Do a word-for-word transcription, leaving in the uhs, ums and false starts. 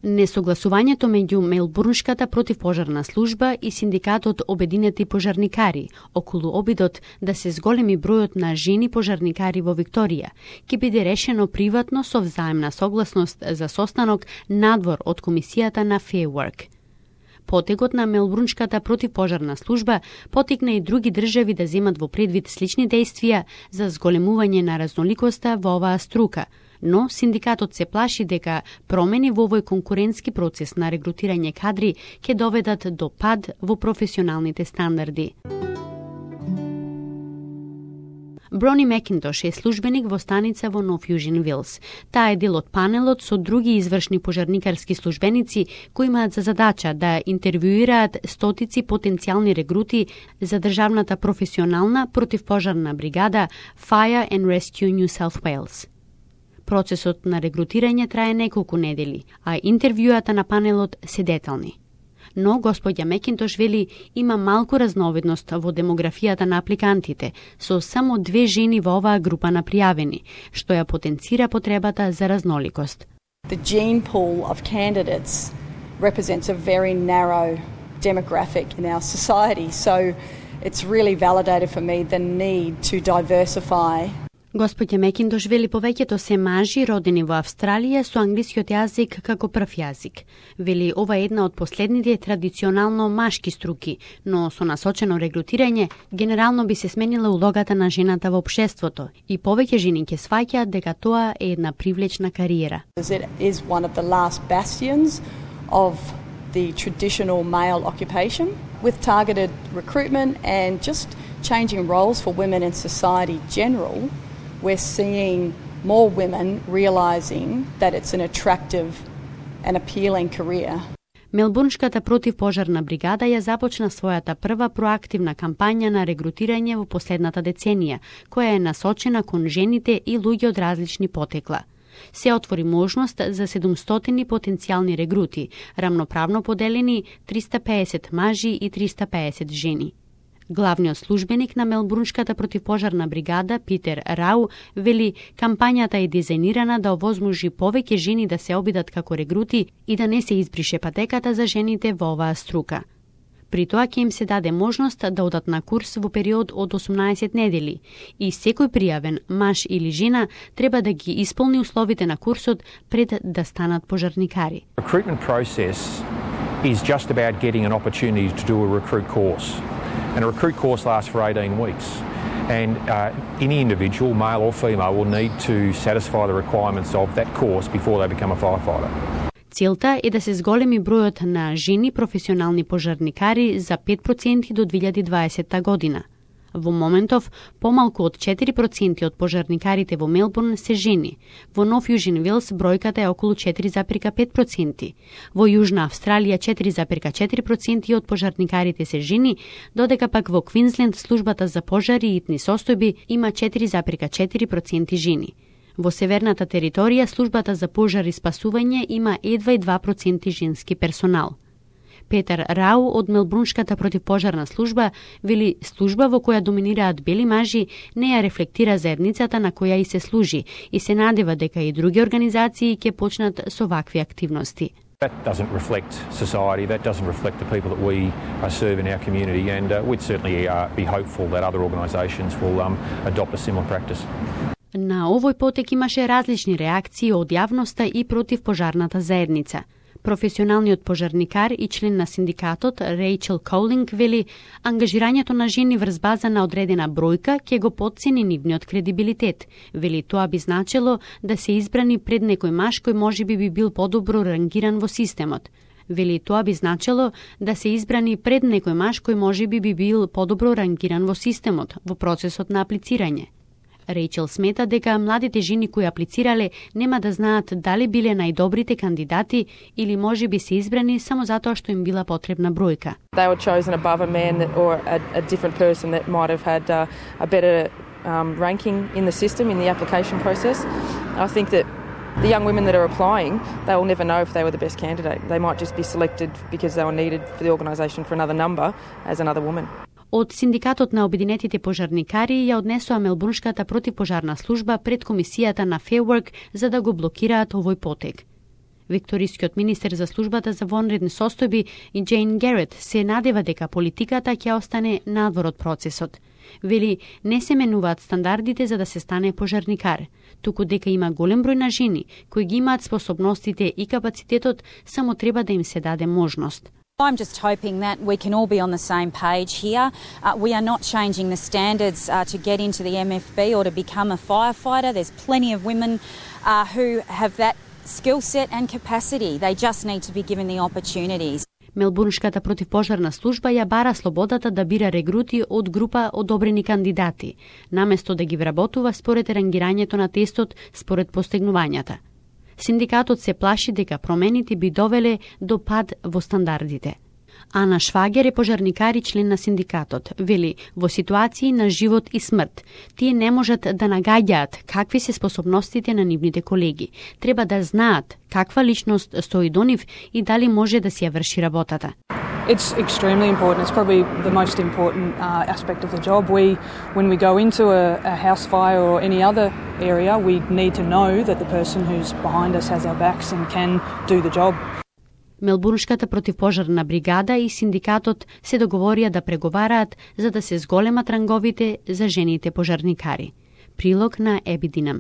Несогласувањето меѓу Мелбурншката противпожарна служба и синдикатот Обединети пожарникари околу обидот да се зголеми бројот на жени пожарникари во Викторија ќе биде решено приватно со взаемна согласност за состанок надвор од комисијата на Fair Work. Потегот на Мелбурншката противпожарна служба потикна и други држави да земат во предвид слични действија за зголемување на разноликоста во оваа струка, но синдикатот се плаши дека промени во овој конкурентски процес на регрутирање кадри ќе доведат до пад во професионалните стандарди. Брони Макинтош е службеник во станица во Нов Јужен Вилс. Таа е дел од панелот со други извршни пожарникарски службеници кои имаат за задача да интервјуираат стотици потенцијални регрути за државната професионална противпожарна бригада Fire and Rescue New South Wales. Процесот на регрутирање трае неколку недели, а интервјуата на панелот се детални. Но господја Макинтош вели има малку разновидност во демографијата на апликантите, со само две жени во оваа група на пријавени, што ја потенцира потребата за разноликост. The gene pool of candidates represents a very narrow demographic in our society, so it's really validated for me the need to diversify. Господја Макинтош вели повеќето се мажи родени во Австралија со англискиот јазик како прв јазик. Вели ова е една од последните традиционално машки струки, но со насочено регрутирање генерално би се сменила улогата на жената во општеството и повеќе жени ќе сваќаат дека тоа е една привлечна кариера. It is one of the last bastions of the traditional male occupation with targeted recruitment and just changing roles for women in society general. We're seeing more women realizing that it's an attractive and appealing career. Мелбурншката противпожарна бригада ја започна својата прва проактивна кампања на регрутирање во последната деценија, која е насочена кон жените и луѓе од различни потекла. Се отвори можност за седумстотини потенцијални регрути, рамноправно поделени триста пеесет мажи и триста пеесет жени. Главниот службеник на Мелбурншката противпожарна бригада, Питер Рау, вели кампањата е дизајнирана да овозможи повеќе жени да се обидат како регрути и да не се избрише патеката за жените во оваа струка. При тоа ќе им се даде можност да одат на курс во период од осумнаесет недели и секој пријавен маж или жена треба да ги исполни условите на курсот пред да станат пожарникари. Recruitment process is just about getting an opportunity to do a recruit course. And a recruit course lasts for eighteen weeks. And uh, any individual, male or female, will need to satisfy the requirements of that course before they become a firefighter. Целта е да се зголеми бројот на жени професионални пожарникари за пет проценти до две илјади и дваесетта година. Во моментов, помалку од четири проценти од пожарникарите во Мелбурн се жени. Во Нов Јужен Вилс бројката е околу четири зарез пет проценти. Во Јужна Австралија четири зарез четири проценти од пожарникарите се жени, додека пак во Квинсленд службата за пожари и итни состојби има четири зарез четири проценти жени. Во северната територија службата за пожар и спасување има едва и два проценти женски персонал. Петер Рау од Мелбурншката противпожарна служба вели служба во која доминираат бели мажи не ја рефлектира заедницата на која и се служи и се надева дека и други организации ќе почнат со вакви активности. That doesn't reflect society, that doesn't reflect the people that we uh, serve in our community, and uh, we'd certainly uh, be hopeful that other organisations will um, adopt a similar practice. На овој потек имаше различни реакции од јавноста и против пожарната заедница. Професионалниот пожарникар и член на синдикатот Рейчел Коулинг вели ангажирањето на жени врз база на одредена бројка ќе го потцени нивниот кредибилитет. Вели тоа би значело да се избрани пред некој маж кој можеби би бил подобро рангиран во системот. Вели тоа би значело да се избрани пред некој маж кој можеби би бил подобро рангиран во системот во процесот на аплицирање. Рейчел смета дека младите жени кои аплицирале нема да знаат дали биле најдобрите кандидати или може би се избрани само затоа што им била потребна бројка. They were chosen above a man that, or a, a different person that might have had uh, a better um, ranking in the system, in the application process. I think that the young women that are applying, they will never know if they were the best candidate. They might just be selected because they were needed for the organisation for another number as another woman. Од Синдикатот на Обединетите пожарникари ја однесоа Мелбурншката противпожарна служба пред комисијата на Fair Work за да го блокираат овој потек. Викторискиот министер за службата за вонредни состојби и Джейн Герет се надева дека политиката ќе остане надвор од процесот. Вели, не се менуваат стандардите за да се стане пожарникар, туку дека има голем број на жени кои ги имаат способностите и капацитетот, само треба да им се даде можност. I'm just hoping that we can all be on the same page here. Uh, we are not changing the standards uh, to get into the M F B or to become a firefighter. There's plenty of women uh, who have that skill set and capacity. They just need to be given the opportunities. Мелбурншката противпожарна служба ја бара слободата да бира регрути од група одобрени кандидати, наместо да ги вработува според рангирањето на тестот според постигнувањата. Синдикатот се плаши дека промените би довеле до пад во стандардите. Ана Швагер е пожарникар и член на синдикатот. Вели, во ситуации на живот и смрт, тие не можат да нагаѓаат какви се способностите на нивните колеги. Треба да знаат каква личност стои до нив и дали може да си ја врши работата. It's extremely important. It's probably the most important uh, aspect of the job. We, when we go into a, a house fire or any other area, we need to know that the person who's behind us has our backs and can do the job. Мелбурншката противпожарна бригада и синдикатот се договорија да преговараат за да се зголемат ранговите за жените пожарникари. Прилог на Еби Динам.